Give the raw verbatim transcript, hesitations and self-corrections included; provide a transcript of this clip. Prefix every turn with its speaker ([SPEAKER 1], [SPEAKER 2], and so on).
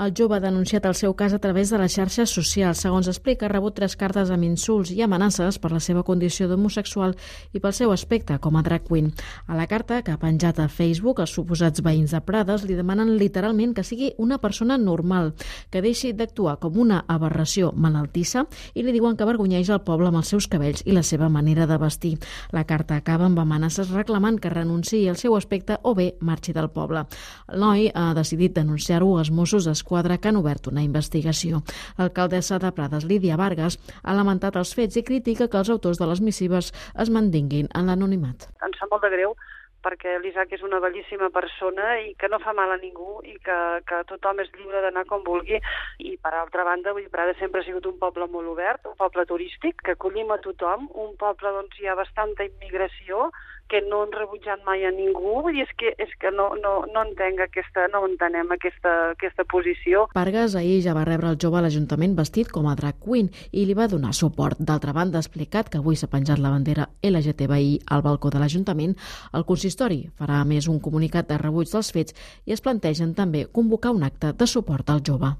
[SPEAKER 1] El jove ha denunciat el seu cas a través de les xarxes socials. Segons explica, ha rebut tres cartes amb insults i amenaces per la seva condició d'homosexual i pel seu aspecte com a drag queen. A la carta, que ha penjat a Facebook, els suposats veïns de Prades li demanen literalment que sigui una persona normal, que deixi d'actuar com una aberració malaltissa i li diuen que avergonyeix el poble amb els seus cabells i la seva manera de vestir. La carta acaba amb amenaces reclamant que renunciï al seu aspecte o bé marxi del poble. El noi ha decidit denunciar-ho als Mossos d'Esquadra, que han obert una investigació. L'alcaldessa de Prades, Lídia Vargas, ha lamentat els fets i critica que els autors de les missives es mantinguin en l'anonimat.
[SPEAKER 2] Em sap molt de greu perquè l'Isaac és una bellíssima persona i que no fa mal a ningú i que, que tothom és lliure d'anar com vulgui. I per altra banda, vull dir, Prades sempre ha sigut un poble molt obert, un poble turístic, que acollim a tothom, un poble on hi ha bastanta immigració, que no han rebutjat mai a ningú, vull dir, és que, és que no, no, no entenc aquesta, no entenem aquesta, aquesta posició.
[SPEAKER 1] Vargas ahir ja va rebre el jove a l'Ajuntament vestit com a drag queen i li va donar suport. D'altra banda, ha explicat que avui s'ha penjat la bandera L G T B I al balcó de l'Ajuntament. El consistori farà a més un comunicat de rebuig dels fets i es plantegen també convocar un acte de suport al jove.